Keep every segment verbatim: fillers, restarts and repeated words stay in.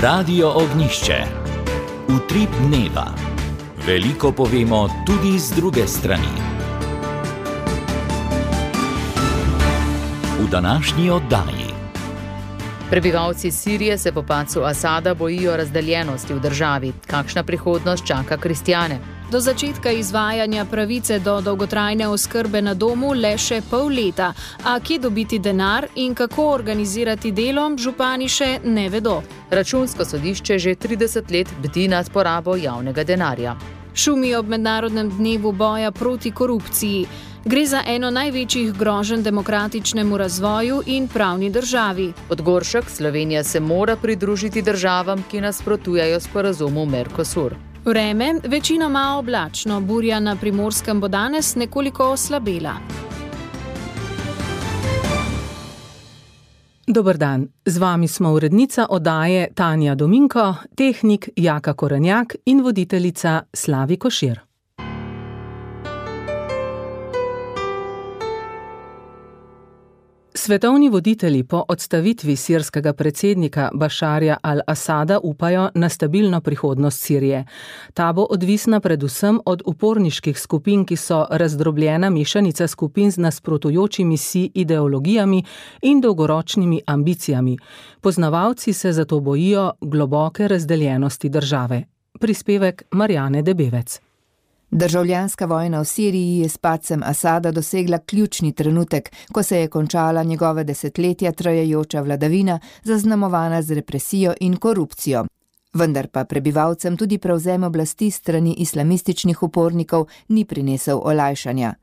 Radio Ognjišče. Utrip dneva. Veliko povemo tudi z druge strani. V današnji oddaji. Prebivalci Sirije se po padcu Asada bojijo razdeljenosti v državi. Kakšna prihodnost čaka kristjane? Do začetka izvajanja pravice do dolgotrajne oskrbe na domu le še pol leta. A kje dobiti denar in kako organizirati delo, župani še ne vedo. Računsko sodišče že trideset let bdi nad porabo javnega denarja. Šumi ob mednarodnem dnevu boja proti korupciji. Gre za eno največjih groženj demokratičnemu razvoju in pravni državi. Podgoršek, Slovenija se mora pridružiti državam, ki nasprotujejo sporazumu Mercosur. Vreme, večinoma oblačno, burja na Primorskem bo danes nekoliko oslabela. Dober dan, z vami smo urednica oddaje Tanja Dominko, tehnik Jaka Korenjak in voditeljica Slavi Košir. Svetovni voditelji po odstavitvi sirskega predsednika Bašarja al-Asada upajo na stabilno prihodnost Sirije. Ta bo odvisna predvsem od uporniških skupin, ki so razdrobljena mešanica skupin z nasprotujočimi si ideologijami in dolgoročnimi ambicijami. Poznavalci se zato bojijo globoke razdeljenosti države. Prispevek Marjane Debevec. Državljanska vojna v Siriji je s padcem Asada dosegla ključni trenutek, ko se je končala njegova desetletja trajajoča vladavina, zaznamovana z represijo in korupcijo. Vendar pa prebivalcem tudi prevzem oblasti strani islamističnih upornikov ni prinesel olajšanja.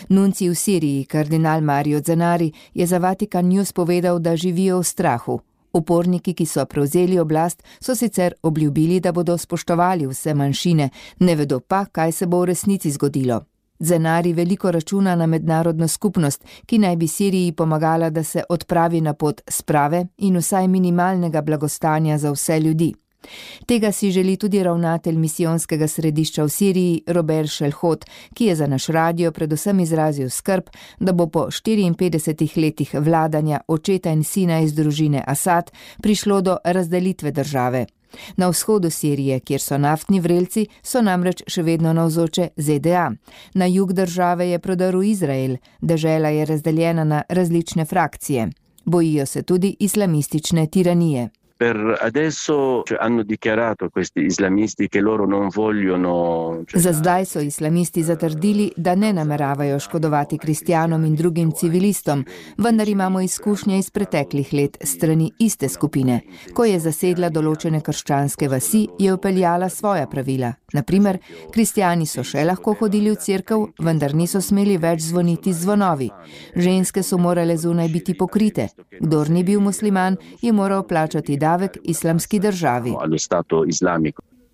Nuncij v Siriji, kardinal Mario Zenari, je za Vatikan News povedal, da živijo v strahu. Uporniki, ki so prevzeli oblast, so sicer obljubili, da bodo spoštovali vse manjšine, ne vedo pa, kaj se bo v resnici zgodilo. Zenari veliko računa na mednarodno skupnost, ki naj bi Siriji pomagala, da se odpravi na pot sprave in vsaj minimalnega blagostanja za vse ljudi. Tega si želi tudi ravnatelj misijonskega središča v Siriji, Robert Šelhot, ki je za naš radio predvsem izrazil skrb, da bo po štiriinpetdesetih letih vladanja očeta in sina iz družine Asad prišlo do razdelitve države. Na vzhodu Sirije, kjer so naftni vrelci, so namreč še vedno navzoče Z D A. Na jug države je prodrl Izrael, dežela je razdeljena na različne frakcije. Bojijo se tudi islamistične tiranije. Per adesso hanno dichiarato questi islamisti che loro non vogliono... Za zdaj so islamisti zatrdili, da ne nameravajo škodovati kristjanom in drugim civilistom, vendar imamo izkušnje iz preteklih let strani iste skupine. Ko je zasedla določene krščanske vasi, je vpeljala svoja pravila. Naprimer, kristjani so še lahko hodili v cerkev, vendar niso smeli več zvoniti zvonovi. Ženske so morale zunaj biti pokrite. Kdor ni bil musliman, je moral plačati davek islamski državi.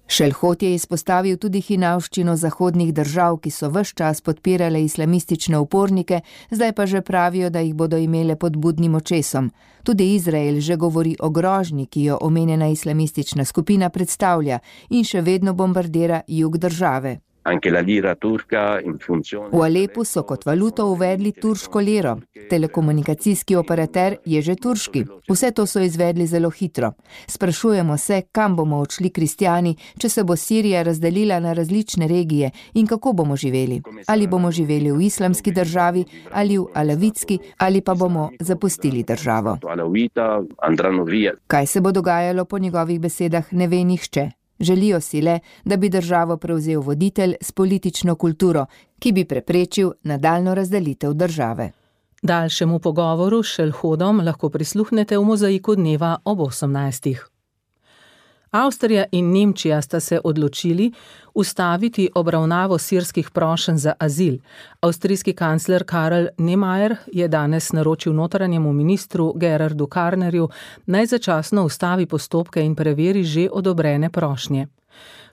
Šelhot je izpostavil tudi hinavščino zahodnih držav, ki so ves čas podpirale islamistične upornike, zdaj pa že pravijo, da jih bodo imele pod budnim očesom. Tudi Izrael že govori o grožnji, ki jo omenjena islamistična skupina predstavlja in še vedno bombardira jug države. Anche la lira turca in funzione. V Alepu so kot valuto uvedli turško liro. Telekomunikacijski operater je že turški. Vse to so izvedli zelo hitro. Sprašujemo se, kam bomo odšli kristjani, če se bo Sirija razdelila na različne regije in kako bomo živeli. Ali bomo živeli v islamski državi, ali v alavitski, ali pa bomo zapustili državo. Kaj se bo dogajalo po njegovih besedah, ne ve nihče. Želijo si le, da bi državo prevzel voditelj s politično kulturo, ki bi preprečil nadaljnjo razdelitev države. Daljšemu pogovoru s Šelhodom lahko prisluhnete v Mozaiku dneva ob osemnajstih. Avstrija in Nemčija sta se odločili ustaviti obravnavo sirskih prošenj za azil. Avstrijski kancler Karl Nehammer je danes naročil notranjemu ministru Gerardu Karnerju, naj začasno ustavi postopke in preveri že odobrene prošnje.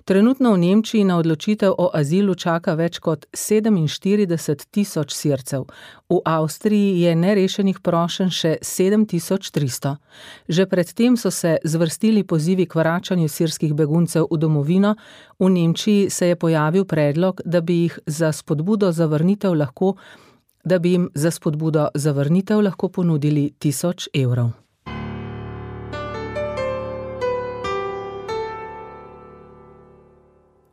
Trenutno v Nemčiji na odločitev o azilu čaka več kot sedeminštirideset tisoč Sircev. V Avstriji je nerešenih prošenj še sedem tisoč tristo. Že predtem so se zvrstili pozivi k vračanju sirskih beguncev v domovino. V Nemčiji se je pojavil predlog, da bi jih za spodbudo zavrnitev lahko, da bi jim za spodbudo zavrnitev lahko ponudili tisoč evrov.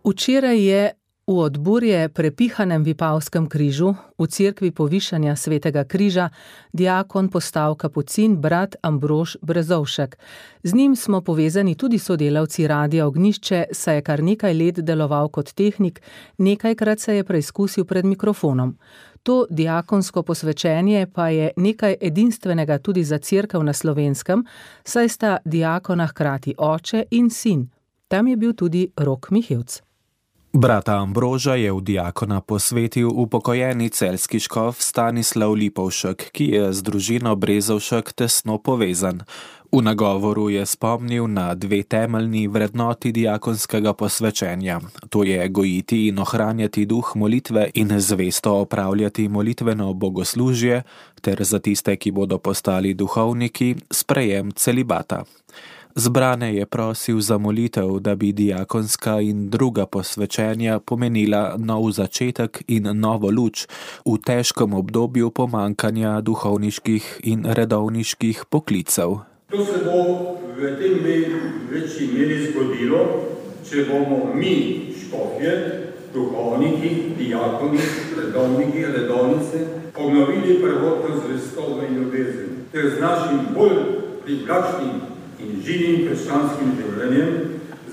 Včeraj je v odburje prepihanem Vipavskem križu v cerkvi Povišanja Svetega križa diakon postal kapucin brat Ambrož Brezovšek. Z njim smo povezani tudi sodelavci Radia Ognjišče, saj je kar nekaj let deloval kot tehnik, nekajkrat se je preizkusil pred mikrofonom. To diakonsko posvečenje pa je nekaj edinstvenega tudi za cerkev na Slovenskem, saj sta diakona hkrati oče in sin. Tam je bil tudi Rok Mihevc. Brata Ambroža je v diakona posvetil upokojeni celjski škof Stanislav Lipovšek, ki je z družino Brezovšek tesno povezan. V nagovoru je spomnil na dve temeljni vrednoti diakonskega posvečenja. To je gojiti in ohranjati duh molitve in zvesto opravljati molitveno bogoslužje, ter za tiste, ki bodo postali duhovniki, sprejem celibata. Zbrane je prosil za molitev, da bi diakonska in druga posvečenja pomenila nov začetek in novo luč v težkem obdobju pomankanja duhovniških in redovniških poklicev. To se bo v tem večji meri zgodilo, če bomo mi, škofje, duhovniki, diakoni, redovniki, redovnice, obnovili prvotno zvestobo in ljubezen, ter z našim bolj privlačnim in živim krščanskim življenjem,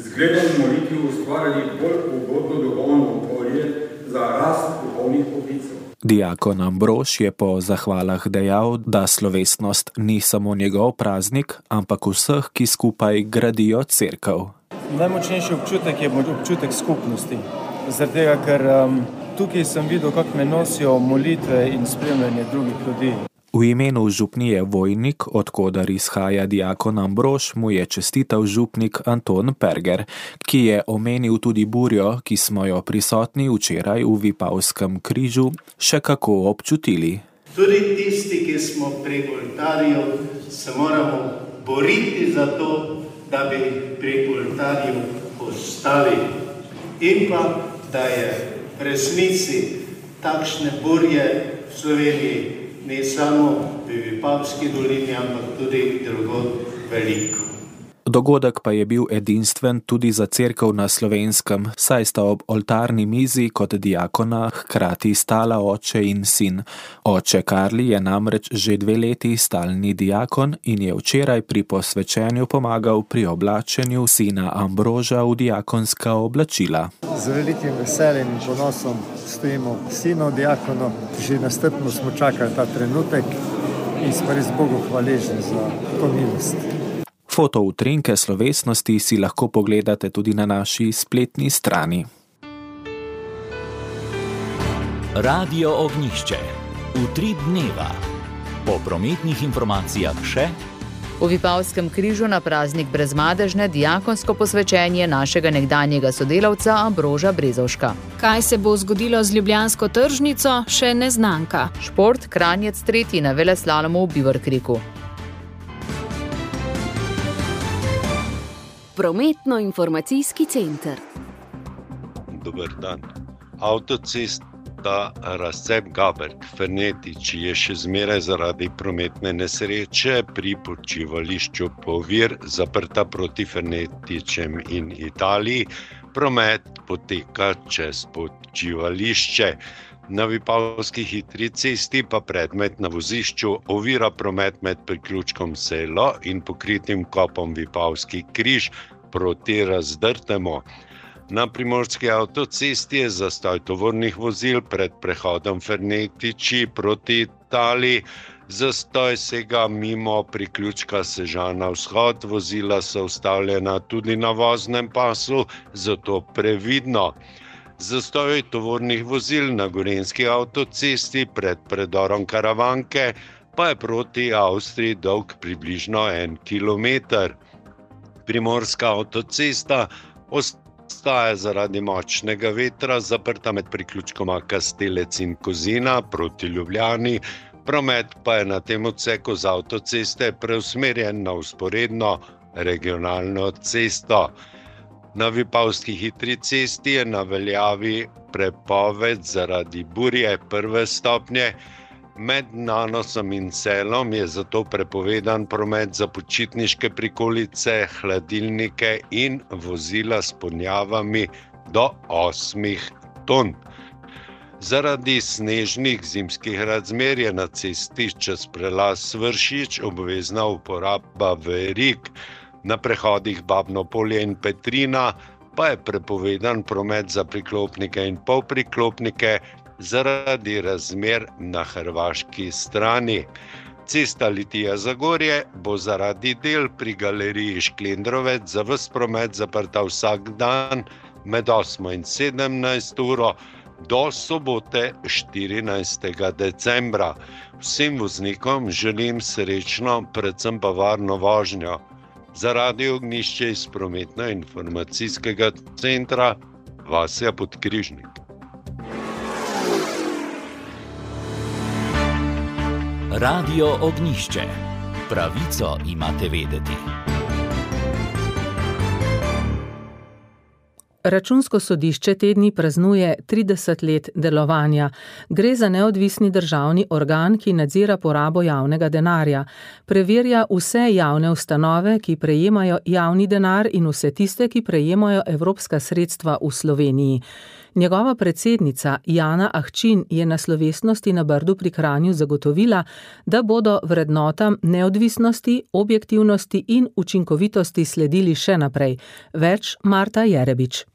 zgledom molitvi ustvarjali bolj ugodno duhovno okolje za rast duhovnih poklicev. Diakon Ambrož je po zahvalah dejal, da slovesnost ni samo njegov praznik, ampak vseh, ki skupaj gradijo cerkev. Najmočnejši občutek je občutek skupnosti, zaradi tega, ker um, tukaj sem videl, kako me nosijo molitve in spremljanje drugih ljudi. V imenu župnije Vojnik, od koder izhaja diakon Ambrož, mu je čestital župnik Anton Perger, ki je omenil tudi burjo, ki smo jo prisotni včeraj v Vipavskem križu še kako občutili. Tudi tisti, ki smo pri oltarju, se moramo boriti za to, da bi pri oltarju ostali. In pa, da je v resnici takšne burje v Sloveniji ne samo v Vipavski dolini, ampak tudi drugod veliko. Dogodek pa je bil edinstven tudi za cerkev na Slovenskem, saj sta ob oltarni mizi kot diakona hkrati stala oče in sin. Oče Karli je namreč že dve leti stalni diakon in je včeraj pri posvečenju pomagal pri oblačenju sina Ambroža v diakonska oblačila. Z velikim veseljem in ponosom stojimo sinu diakonu, že nastrpno smo čakali ta trenutek in smo res Bogu hvaležni za to milost. Fotoutrinke slovesnosti si lahko pogledate tudi na naši spletni strani. Radio Ognjišče. Utrip dneva. Po prometnih informacijah še v Vipavskem križu na praznik brezmadežne diakonsko posvečenje našega nekdanjega sodelavca Ambroža Brezovška. Kaj se bo zgodilo z ljubljansko tržnico, še neznanka. Šport, Kranjec tretji na veleslalomu v Bivorkriku. Prometno-informacijski center. Dober dan. Avtocesta Razcep-Gaberg-Fernetič je še zmeraj zaradi prometne nesreče pri počivališču Povir zaprta proti Fernetičem in Italiji. Promet poteka čez počivališče. Na Vipavski hitri cesti pa predmet na vozišču ovira promet med priključkom Selo in pokritim kopom Vipavski križ proti Razdrtemu. Na primorski avtocesti je zastoj tovornih vozil pred prehodom Fernetiči proti Italiji. Zastoj sega mimo priključka Sežana vzhod, vozila so ustavljena tudi na voznem pasu, zato previdno. Zastoj tovornih vozil na gorenjski avtocesti pred predorom Karavanke pa je proti Avstriji dolg približno en kilometer. Primorska avtocesta ostaja zaradi močnega vetra zaprta med priključkoma Kastelec in Kozina proti Ljubljani. Promet pa je na tem odseku z avtoceste preusmerjen na vzporedno regionalno cesto. Na Vipavski hitri cesti je na veljavi prepoved zaradi burje prve stopnje. Med Nanosom in Celom je zato prepovedan promet za počitniške prikolice, hladilnike in vozila s ponjavami do osmih ton. Zaradi snežnih zimskih razmer je na cesti čez prelaz Vršič obvezna uporaba verig, na prehodih Babno polje in Petrina pa je prepovedan promet za priklopnike in polpriklopnike zaradi razmer na hrvaški strani. Cesta Litija-Zagorje bo zaradi del pri galeriji Šklendrovec za ves promet zaprta vsak dan med osmo in sedemnajsto uro do sobote štirinajstega decembra. Vsem voznikom želim srečno, predvsem pa varno vožnjo. Za Radio Ognjišče iz prometno-informacijskega centra Vasja Podkrižnik. Radio Ognjišče. Pravico imate vedeti. Računsko sodišče te dni praznuje trideset let delovanja. Gre za neodvisni državni organ, ki nadzira porabo javnega denarja. Preverja vse javne ustanove, ki prejemajo javni denar in vse tiste, ki prejemajo evropska sredstva v Sloveniji. Njegova predsednica Jana Ahčin je na slovesnosti na Brdu pri Kranju zagotovila, da bodo vrednotam neodvisnosti, objektivnosti in učinkovitosti sledili še naprej. Več Marta Jerebič.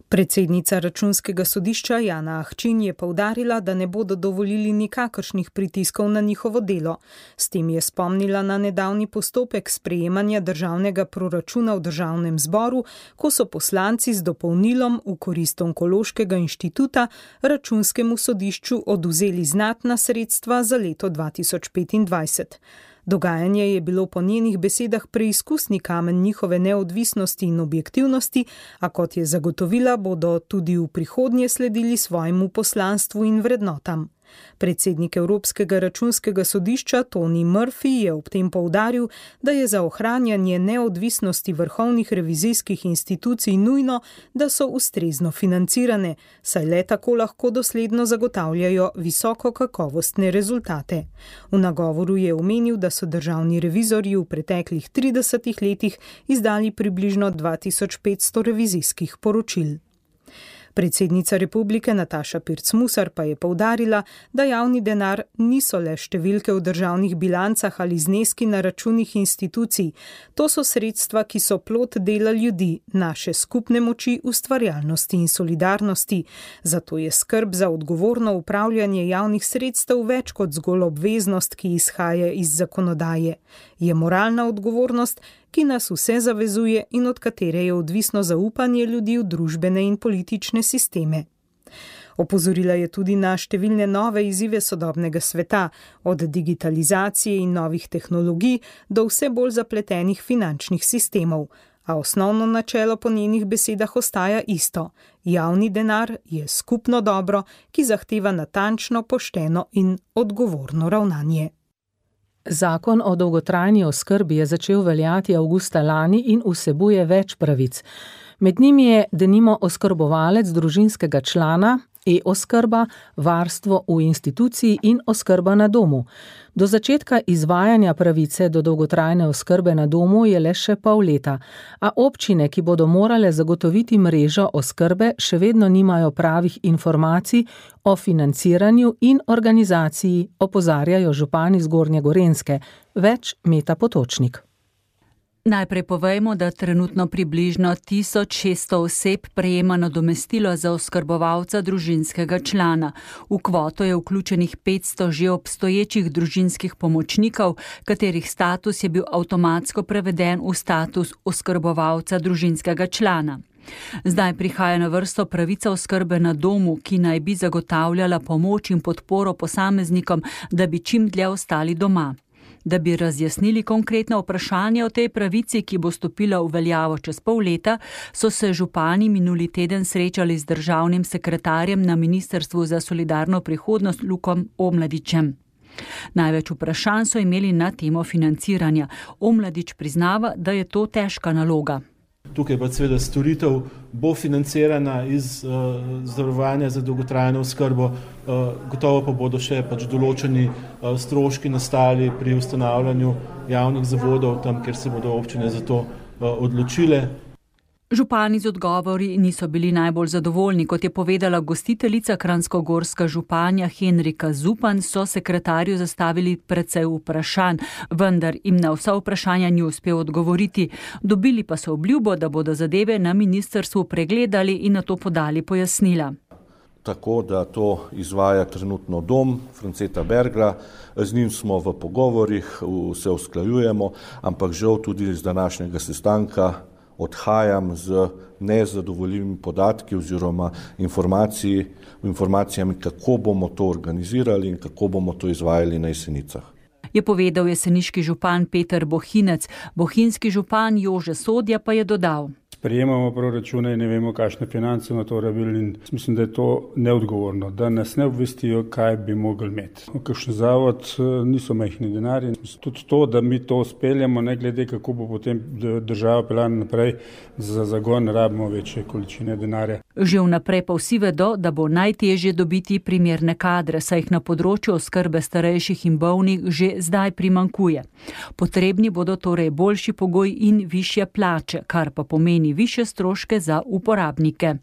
Predsednica Računskega sodišča Jana Ahčin je poudarila, da ne bodo dovolili nikakršnih pritiskov na njihovo delo. S tem je spomnila na nedavni postopek sprejemanja državnega proračuna v državnem zboru, ko so poslanci z dopolnilom v korist Onkološkega inštituta Računskemu sodišču odvzeli znatna sredstva za leto dva tisoč petindvajset. Dogajanje je bilo po njenih besedah preizkusni kamen njihove neodvisnosti in objektivnosti, a kot je zagotovila, bodo tudi v prihodnje sledili svojemu poslanstvu in vrednotam. Predsednik Evropskega računskega sodišča Tony Murphy je ob tem poudaril, da je za ohranjanje neodvisnosti vrhovnih revizijskih institucij nujno, da so ustrezno financirane, saj le tako lahko dosledno zagotavljajo visoko kakovostne rezultate. V nagovoru je omenil, da so državni revizorji v preteklih tridesetih letih izdali približno dva tisoč petsto revizijskih poročil. Predsednica republike Nataša Pirc-Musar pa je poudarila, da javni denar niso le številke v državnih bilancah ali zneski na računih institucij. To so sredstva, ki so plod dela ljudi, naše skupne moči, ustvarjalnosti in solidarnosti. Zato je skrb za odgovorno upravljanje javnih sredstev več kot zgolj obveznost, ki izhaja iz zakonodaje. Je moralna odgovornost, ki nas vse zavezuje in od katere je odvisno zaupanje ljudi v družbene in politične sisteme. Opozorila je tudi na številne nove izzive sodobnega sveta, od digitalizacije in novih tehnologij do vse bolj zapletenih finančnih sistemov. A osnovno načelo po njenih besedah ostaja isto. Javni denar je skupno dobro, ki zahteva natančno, pošteno in odgovorno ravnanje. Zakon o dolgotrajni oskrbi je začel veljati avgusta lani in vsebuje več pravic. Med njimi je denimo oskrbovalec družinskega člana, e-oskrba, varstvo v instituciji in oskrba na domu. Do začetka izvajanja pravice do dolgotrajne oskrbe na domu je le še pol leta, a občine, ki bodo morale zagotoviti mrežo oskrbe, še vedno nimajo pravih informacij o financiranju in organizaciji, opozarjajo župani Zgornje Gorenjske. Več Meta Potočnik. Najprej povejmo, da trenutno približno tisoč šeststo oseb prejema nadomestilo za oskrbovalca družinskega člana. V kvoto je vključenih petsto že obstoječih družinskih pomočnikov, katerih status je bil avtomatsko preveden v status oskrbovalca družinskega člana. Zdaj prihaja na vrsto pravica oskrbe na domu, ki naj bi zagotavljala pomoč in podporo posameznikom, da bi čim dlje ostali doma. Da bi razjasnili konkretno vprašanje o tej pravici, ki bo stopila v veljavo čez pol leta, so se župani minuli teden srečali z državnim sekretarjem na Ministrstvu za solidarno prihodnost Lukom Omladičem. Največ vprašanj so imeli na temo financiranja. Omladič priznava, da je to težka naloga. Tukaj pa seveda storitev bo financirana iz uh, zavarovanja za dolgotrajno oskrbo, uh, gotovo pa bodo še pač določeni uh, stroški nastali pri ustanavljanju javnih zavodov, tam, kjer se bodo občine za to uh, odločile. Župani z odgovori niso bili najbolj zadovoljni, kot je povedala gostiteljica kranjskogorska županja Henrika Zupan, so sekretarju zastavili precej vprašanj, vendar jim na vsa vprašanja ni uspel odgovoriti. Dobili pa so obljubo, da bodo zadeve na ministrstvu pregledali in na to podali pojasnila. Tako da to izvaja trenutno dom Franceta Bergla, z njim smo v pogovorih, se usklajujemo, ampak žal tudi z današnjega sestanka odhajam z nezadovoljivimi podatki oziroma informacij, informacijami, kako bomo to organizirali in kako bomo to izvajali na Jesenicah. Je povedal jeseniški župan Peter Bohinec. Bohinjski župan Jože Sodja pa je dodal. Sprejemamo proračune in ne vemo, kakšne finance na to rabili in mislim, da je to neodgovorno, da nas ne obvestijo, kaj bi mogli imeti. Kakšen zavod niso majhni denarji. Tudi to, da mi to speljamo, ne glede kako bo potem država peljana naprej, za zagon rabimo večje količine denarja. Že vnaprej pa vsi vedo, da bo najtežje dobiti primerne kadre, saj jih na področju oskrbe starejših in bolnih že zdaj primankuje. Potrebni bodo torej boljši pogoj in višje plače, kar pa pomeni višje stroške za uporabnike.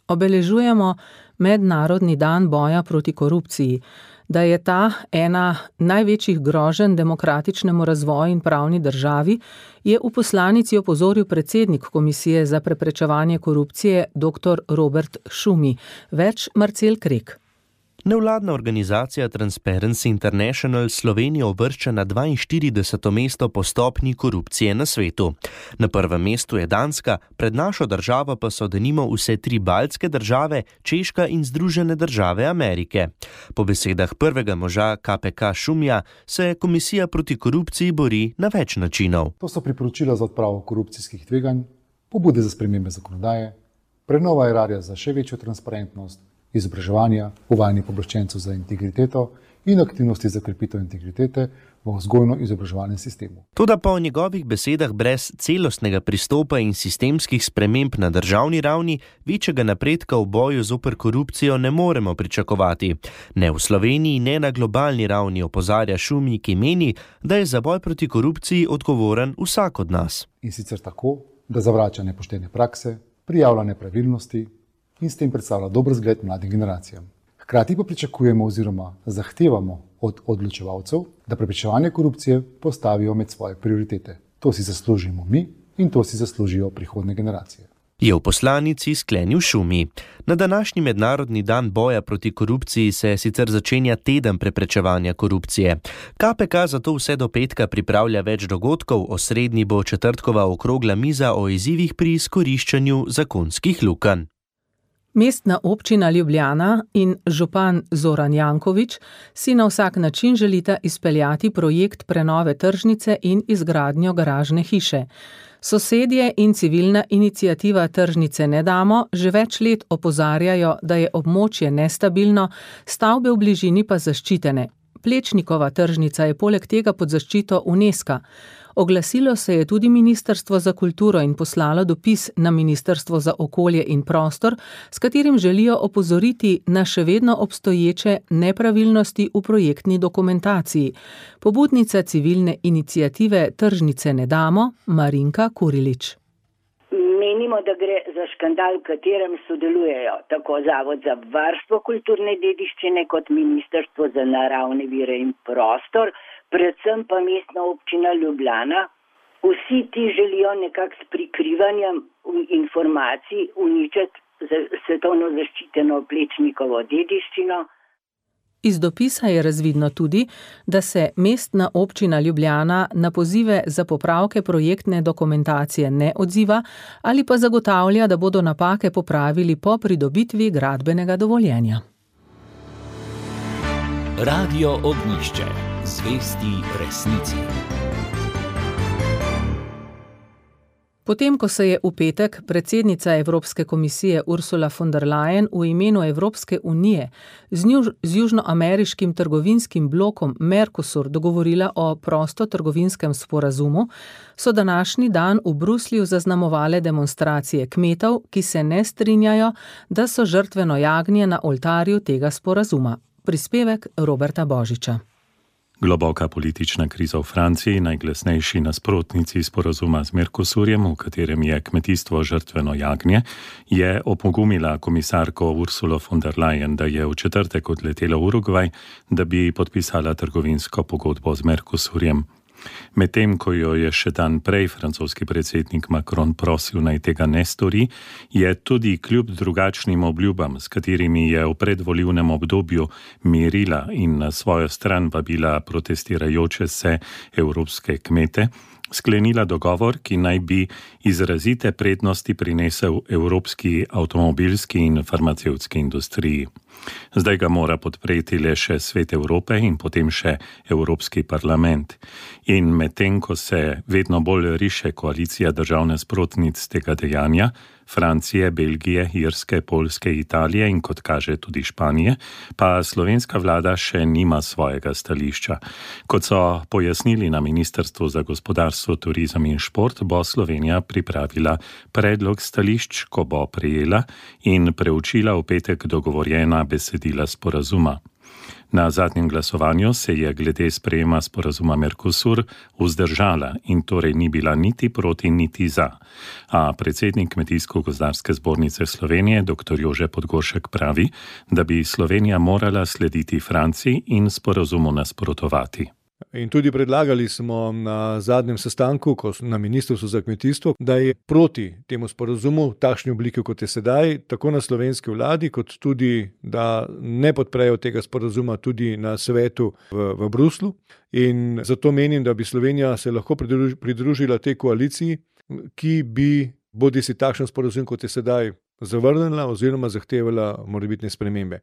Obeležujemo Mednarodni dan boja proti korupciji. Da je ta ena največjih groženj demokratičnemu razvoju in pravni državi, je v poslanici opozoril predsednik Komisije za preprečevanje korupcije dr. Robert Šumi. Več Marcel Krek. Nevladna organizacija Transparency International Slovenijo uvršča na dvainštirideseto mesto po stopnji korupcije na svetu. Na prvem mestu je Danska, pred našo državo pa so denimo vse tri baltske države, Češka in Združene države Amerike. Po besedah prvega moža K P K Šumija se Komisija proti korupciji bori na več načinov. To so priporočila za odpravo korupcijskih tveganj, pobude za spremembe zakonodaje, prenova erarja za še večjo transparentnost, izobraževanja, uvajanje pooblaščencev za integriteto in aktivnosti za krepitev integritete v vzgojno-izobraževalnem sistemu. Toda po njegovih besedah brez celostnega pristopa in sistemskih sprememb na državni ravni večjega napredka v boju zoper korupcijo ne moremo pričakovati. Ne v Sloveniji, ne na globalni ravni, opozarja Šumi, ki meni, da je za boj proti korupciji odgovoren vsak od nas. In sicer tako, da zavrača nepoštene prakse, prijavlja nepravilnosti in s tem predstavlja dober zgled mladim generacijam. Hkrati pa pričakujemo oziroma zahtevamo od odločevalcev, da preprečevanje korupcije postavijo med svoje prioritete. To si zaslužimo mi in to si zaslužijo prihodne generacije. Je v poslanici sklenil Šumi. Na današnji mednarodni dan boja proti korupciji se sicer začenja teden preprečevanja korupcije. K P K zato vse do petka pripravlja več dogodkov, osrednji bo četrtkova okrogla miza o izzivih pri izkoriščanju zakonskih lukenj. Mestna občina Ljubljana in župan Zoran Janković si na vsak način želita izpeljati projekt prenove tržnice in izgradnjo garažne hiše. Sosedje in civilna iniciativa Tržnice ne damo že več let opozarjajo, da je območje nestabilno, stavbe v bližini pa zaščitene. Plečnikova tržnica je poleg tega pod zaščito UNESCO. Oglasilo se je tudi Ministrstvo za kulturo in poslalo dopis na Ministrstvo za okolje in prostor, s katerim želijo opozoriti na še vedno obstoječe nepravilnosti v projektni dokumentaciji. Pobudnica civilne iniciative Tržnice ne damo, Marinka Kurilič. Menimo, da gre za škandal, v katerem sodelujejo tako Zavod za varstvo kulturne dediščine kot Ministrstvo za naravne vire in prostor, predvsem pa Mestna občina Ljubljana. Vsi ti želijo nekako s prikrivanjem informacij uničiti svetovno zaščiteno Plečnikovo dediščino. Iz dopisa je razvidno tudi, da se Mestna občina Ljubljana na pozive za popravke projektne dokumentacije ne odziva ali pa zagotavlja, da bodo napake popravili po pridobitvi gradbenega dovoljenja. Radio Ognjišče. Zvesti resnici. Potem, ko se je v petek predsednica Evropske komisije Ursula von der Leyen v imenu Evropske unije z, njuž, z južnoameriškim trgovinskim blokom Mercosur dogovorila o prostotrgovinskem sporazumu, so današnji dan v Bruslju zaznamovale demonstracije kmetov, ki se ne strinjajo, da so žrtveno jagnje na oltarju tega sporazuma. Prispevek Roberta Božiča. Globoka politična kriza v Franciji, najglasnejši nasprotnici sporazuma z Mercosurjem, v katerem je kmetijstvo žrtveno jagnje, je opogumila komisarko Ursulo von der Leyen, da je v četrtek odletela v Urugvaj, da bi podpisala trgovinsko pogodbo z Mercosurjem. Medtem, ko jo je še dan prej francoski predsednik Macron prosil, naj tega ne stori, je tudi kljub drugačnim obljubam, s katerimi je v predvolilnem obdobju mirila in na svojo stran vabila protestirajoče se evropske kmete, sklenila dogovor, ki naj bi izrazite prednosti prinesel evropski avtomobilski in farmacevtski industriji. Zdaj ga mora podpreti le še Svet Evrope in potem še Evropski parlament. In medtem, ko se vedno bolj riše koalicija držav nasprotnic tega dejanja, Francije, Belgije, Irske, Poljske, Italije in kot kaže tudi Španije, pa slovenska vlada še nima svojega stališča. Kot so pojasnili na Ministrstvu za gospodarstvo, turizem in šport, bo Slovenija pripravila predlog stališč, ko bo prejela in preučila v petek dogovorjena besedila sporazuma. Na zadnjem glasovanju se je glede sprejema sporazuma Mercosur vzdržala in torej ni bila niti proti, niti za. A predsednik Kmetijsko-gozdarske zbornice Slovenije, dr. Jože Podgoršek, pravi, da bi Slovenija morala slediti Franciji in sporazumu nasprotovati. In tudi predlagali smo na zadnjem sestanku na Ministrstvu za kmetijstvo, da je proti temu sporazumu v takšni obliki, kot je sedaj, tako na slovenski vladi, kot tudi, da ne podprejo tega sporazuma tudi na svetu v, v Bruslu. In zato menim, da bi Slovenija se lahko pridružila tej koaliciji, ki bi bodisi takšen sporazum, kot je sedaj, zavrnila oziroma zahtevala morebitne spremembe.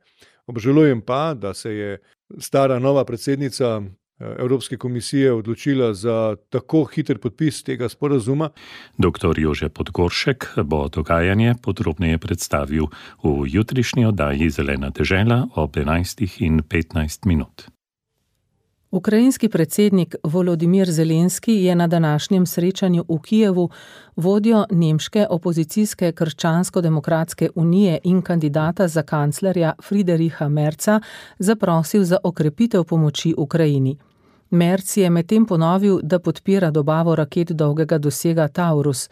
Obžalujem pa, da se je stara nova predsednica Evropske komisije odločila za tako hiter podpis tega sporazuma. doktor Jože Podgoršek bo dogajanje podrobneje predstavil v jutrišnji oddaji Zelena dežela ob enajstih in petnajst minut. Ukrajinski predsednik Volodimir Zelenski je na današnjem srečanju v Kijevu vodjo nemške opozicijske Krščansko-demokratske unije in kandidata za kanclerja Friedricha Merza zaprosil za okrepitev pomoči Ukrajini. Merz je medtem ponovil, da podpira dobavo raket dolgega dosega Taurus.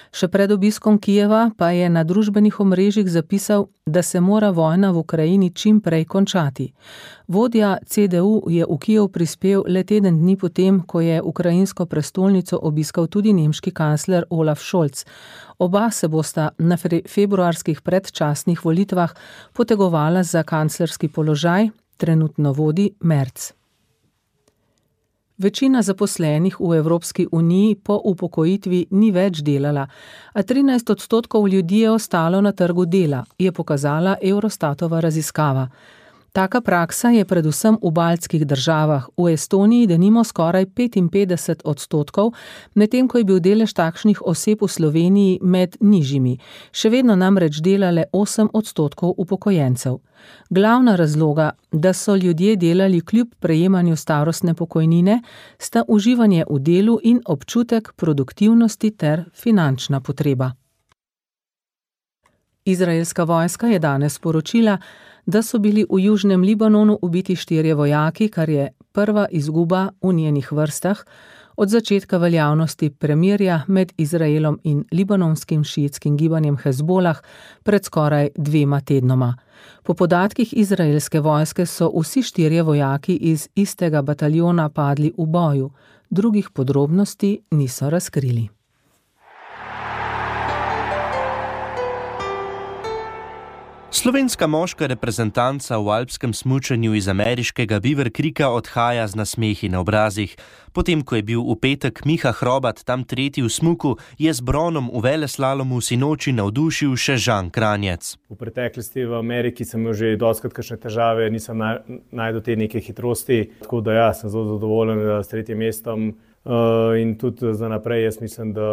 Še pred obiskom Kijeva pa je na družbenih omrežjih zapisal, da se mora vojna v Ukrajini čim prej končati. Vodja C D U je v Kijev prispel le teden dni potem, ko je ukrajinsko prestolnico obiskal tudi nemški kancler Olaf Scholz. Oba se bosta na februarskih predčasnih volitvah potegovala za kanclerski položaj, trenutno vodi Merz. Večina zaposlenih v Evropski uniji po upokojitvi ni več delala, a trinajst odstotkov ljudi je ostalo na trgu dela, je pokazala Eurostatova raziskava. Taka praksa je predvsem v baltskih državah, v Estoniji denimo skoraj petinpetdeset odstotkov, medtem ko je bil delež takšnih oseb v Sloveniji med nižjimi. Še vedno namreč delale osem odstotkov upokojencev. Glavna razloga, da so ljudje delali kljub prejemanju starostne pokojnine, sta uživanje v delu in občutek produktivnosti ter finančna potreba. Izraelska vojska je danes sporočila, da so bili v južnem Libanonu ubiti štirje vojaki, kar je prva izguba v njenih vrstah od začetka veljavnosti premirja med Izraelom in libanonskim šiitskim gibanjem Hezbolah pred skoraj dvema tednoma. Po podatkih izraelske vojske so vsi štirje vojaki iz istega bataljona padli v boju, drugih podrobnosti niso razkrili. Slovenska moška reprezentanca v alpskem smučanju iz ameriškega Beaver Creeka odhaja z nasmehi na obrazih. Potem, ko je bil v petek Miha Hrobat tam tretji v smuku, je z bronom v veleslalomu sinoči navdušil še Žan Kranjec. V preteklosti v Ameriki sem imel že dostikrat kakšne težave, nisem najdel te neke hitrosti, tako da ja, sem zelo zadovoljen s tretjim mestom in tudi za naprej jaz mislim, da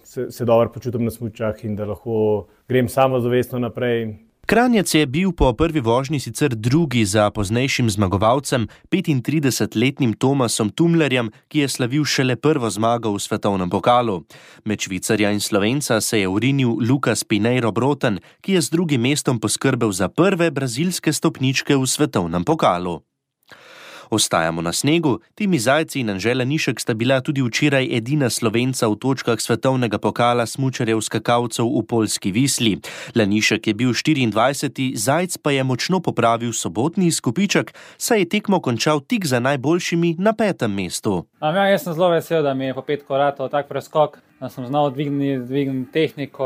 se, se dobro počutim na smučah in da lahko grem samozavestno naprej. Kranjec je bil po prvi vožnji sicer drugi za poznejšim zmagovalcem, petintridesetletnim Tomasom Tumlerjem, ki je slavil šele prvo zmago v svetovnem pokalu. Med Švicarja in Slovenca se je urinil Lukas Pinheiro Broten, ki je z drugim mestom poskrbel za prve brazilske stopničke v svetovnem pokalu. Ostajamo na snegu, Timi Zajci in Anžela Nišek sta bila tudi včeraj edina Slovenca v točkah svetovnega pokala smučarjev skakalcev v Poljski Visli. Lanišek je bil štiriindvajseti, Zajc pa je močno popravil sobotni izkupiček, saj je tekmo končal tik za najboljšimi na petem mestu. Ja, jaz sem zelo vesel, da mi je po petko ratov tak preskok, da sem znal dvigniti, dvigniti tehniko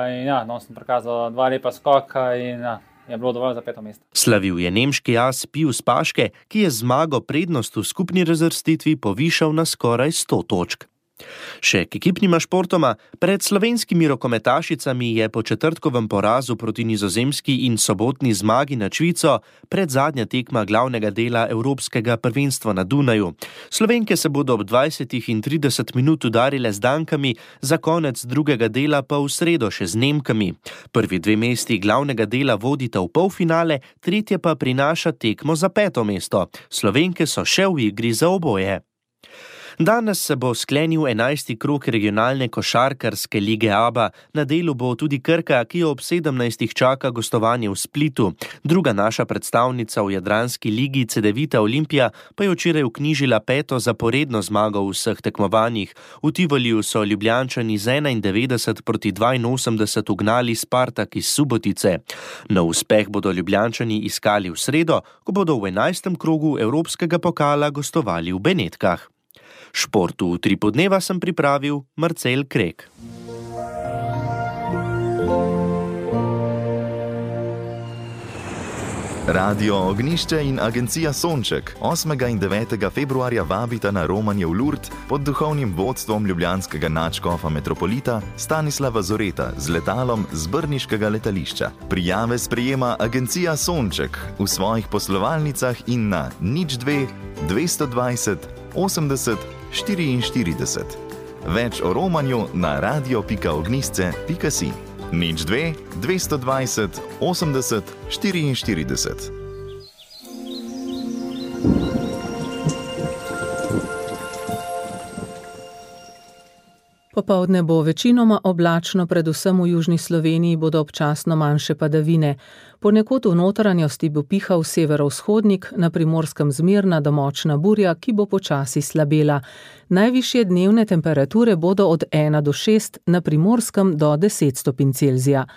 in ja, no, sem prikazal dva lepa skoka in ja, je bilo dovolj za peto mesto. Slavil je nemški as Pius Paške, ki je zmago prednost v skupni razvrstitvi povišal na skoraj sto točk. Še k ekipnima športoma, pred slovenskimi rokometašicami je po četrtkovem porazu proti Nizozemski in sobotni zmagi nad Švico predzadnja tekma glavnega dela Evropskega prvenstva na Dunaju. Slovenke se bodo ob dvajsetih in trideset minut udarile z Dankami, za konec drugega dela pa v sredo še z Nemkami. Prvi dve mesti glavnega dela vodita v polfinale, tretje pa prinaša tekmo za peto mesto. Slovenke so še v igri za oboje. Danes se bo sklenil enajsti krog regionalne košarkarske lige A B A. Na delu bo tudi Krka, ki jo ob sedemnajstih čaka gostovanje v Splitu. Druga naša predstavnica v jadranski ligi Cedevita Olimpija pa je včeraj vknjižila peto zaporedno zmago v vseh tekmovanjih. V Tivoliju so Ljubljančani z enaindevetdeset proti dvainosemdeset ugnali Spartak iz Subotice. Nov uspeh bodo Ljubljančani iskali v sredo, ko bodo v enajstem krogu Evropskega pokala gostovali v Benetkah. Športu v tri podneva sem pripravil Marcel Krek. Radio Ognišče in agencija Sonček osmega in devetega februarja vabita na romanje v Lurd pod duhovnim vodstvom ljubljanskega nadškofa metropolita Stanislava Zoreta z letalom z brniškega letališča. Prijave sprejema agencija Sonček v svojih poslovalnicah in na nič dve dvesto dvajset osemdeset štiriinštirideset. Več o romanju na radio pika ognisce pika si. nič dve dvesto dvajset osemdeset štiriinštirideset. Popoldne bo večinoma oblačno, predvsem v južni Sloveniji bodo občasno manjše padavine. Ponekod v notranjosti bo pihal severovzhodnik, na Primorskem zmerna do močna burja, ki bo počasi slabela. Najvišje dnevne temperature bodo od ena do šest, na Primorskem do deset stopinj Celzija.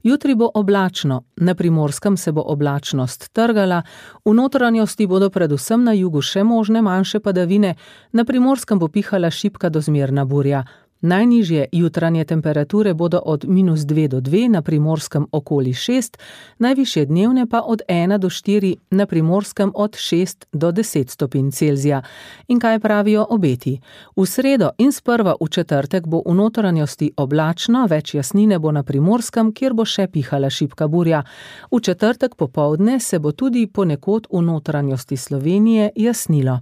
Jutri bo oblačno, na Primorskem se bo oblačnost trgala, v notranjosti bodo predvsem na jugu še možne manjše padavine, na Primorskem bo pihala šibka do zmerna burja. Najnižje jutranje temperature bodo od minus dve do dve, na Primorskem okoli šest, najvišje dnevne pa od ena do štiri, na Primorskem od šest do deset stopinj Celzija. In kaj pravijo obeti? V sredo in sprva v četrtek bo v notranjosti oblačno, več jasnine bo na Primorskem, kjer bo še pihala šibka burja. V četrtek popoldne se bo tudi ponekod v notranjosti Slovenije jasnilo.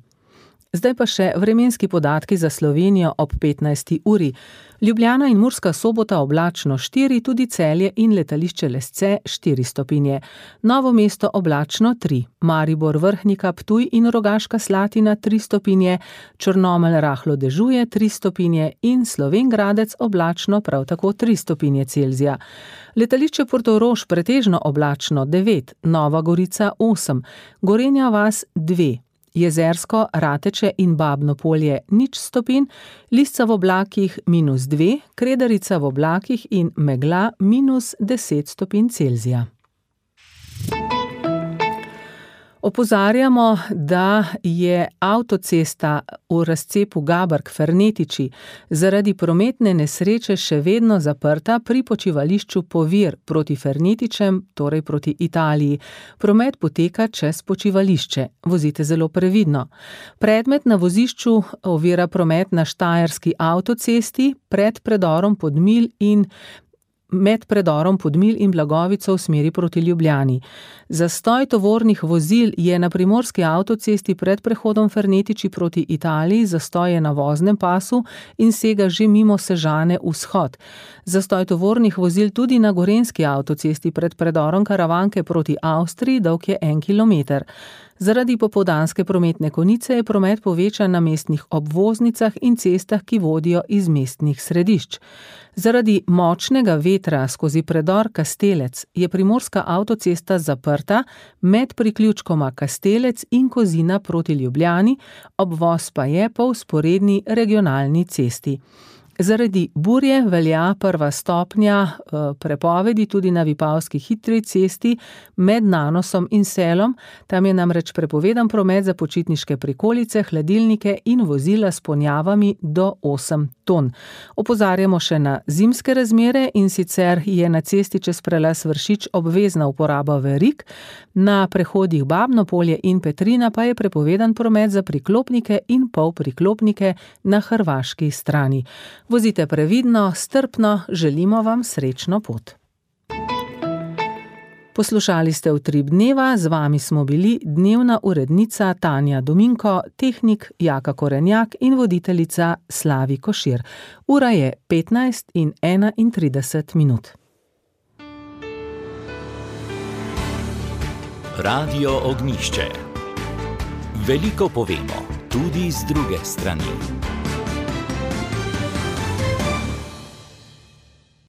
Zdaj pa še vremenski podatki za Slovenijo ob petnajsti uri. Ljubljana in Murska Sobota oblačno štiri, tudi Celje in letališče Lesce štiri stopinje. Novo mesto oblačno tri, Maribor, Vrhnika, Ptuj in Rogaška Slatina tri stopinje, Črnomelj rahlo dežuje tri stopinje in Slovenj Gradec oblačno prav tako tri stopinje Celzija. Letališče Portorož pretežno oblačno devet, Nova Gorica osem, Gorenja vas dve. Jezersko, Rateče in Babno polje nič stopinj, Lisca v oblakih minus dve, Kredarica v oblakih in megla minus deset stopinj Celzija. Opozarjamo, da je avtocesta v razcepu Gaberg-Fernetiči zaradi prometne nesreče še vedno zaprta pri počivališču Povir proti Fernetičem, torej proti Italiji. Promet poteka čez počivališče. Vozite zelo previdno. Predmet na vozišču ovira promet na štajerski avtocesti pred predorom Podmilj in med predorom Podmilj in Blagovico v smeri proti Ljubljani. Zastoj tovornih vozil je na primorski avtocesti pred prehodom Fernetiči proti Italiji, zastoj je na voznem pasu in sega že mimo Sežane vzhod. Zastoj tovornih vozil tudi na gorenski avtocesti pred predorom Karavanke proti Avstriji, dolg je en kilometer. Zaradi popoldanske prometne konice je promet povečan na mestnih obvoznicah in cestah, ki vodijo iz mestnih središč. Zaradi močnega vetra skozi predor Kastelec je primorska avtocesta zaprta med priključkoma Kastelec in Kozina proti Ljubljani, obvoz pa je po vzporedni regionalni cesti. Zaradi burje velja prva stopnja prepovedi tudi na Vipavski hitri cesti med Nanosom in Selom. Tam je namreč prepovedan promet za počitniške prikolice, hladilnike in vozila s ponjavami do osem ton. Opozarjamo še na zimske razmere, in sicer je na cesti čez prelaz Vršič obvezna uporaba verig, na prehodih Babno polje in Petrina pa je prepovedan promet za priklopnike in polpriklopnike na hrvaški strani. Vozite previdno, strpno, želimo vam srečno pot. Poslušali ste Utrip dneva, z vami smo bili dnevna urednica Tanja Dominko, tehnik Jaka Korenjak in voditeljica Slavi Košir. Ura je petnajst in enaintrideset minut. Radio Ognjišče. Veliko povemo, tudi z druge strani.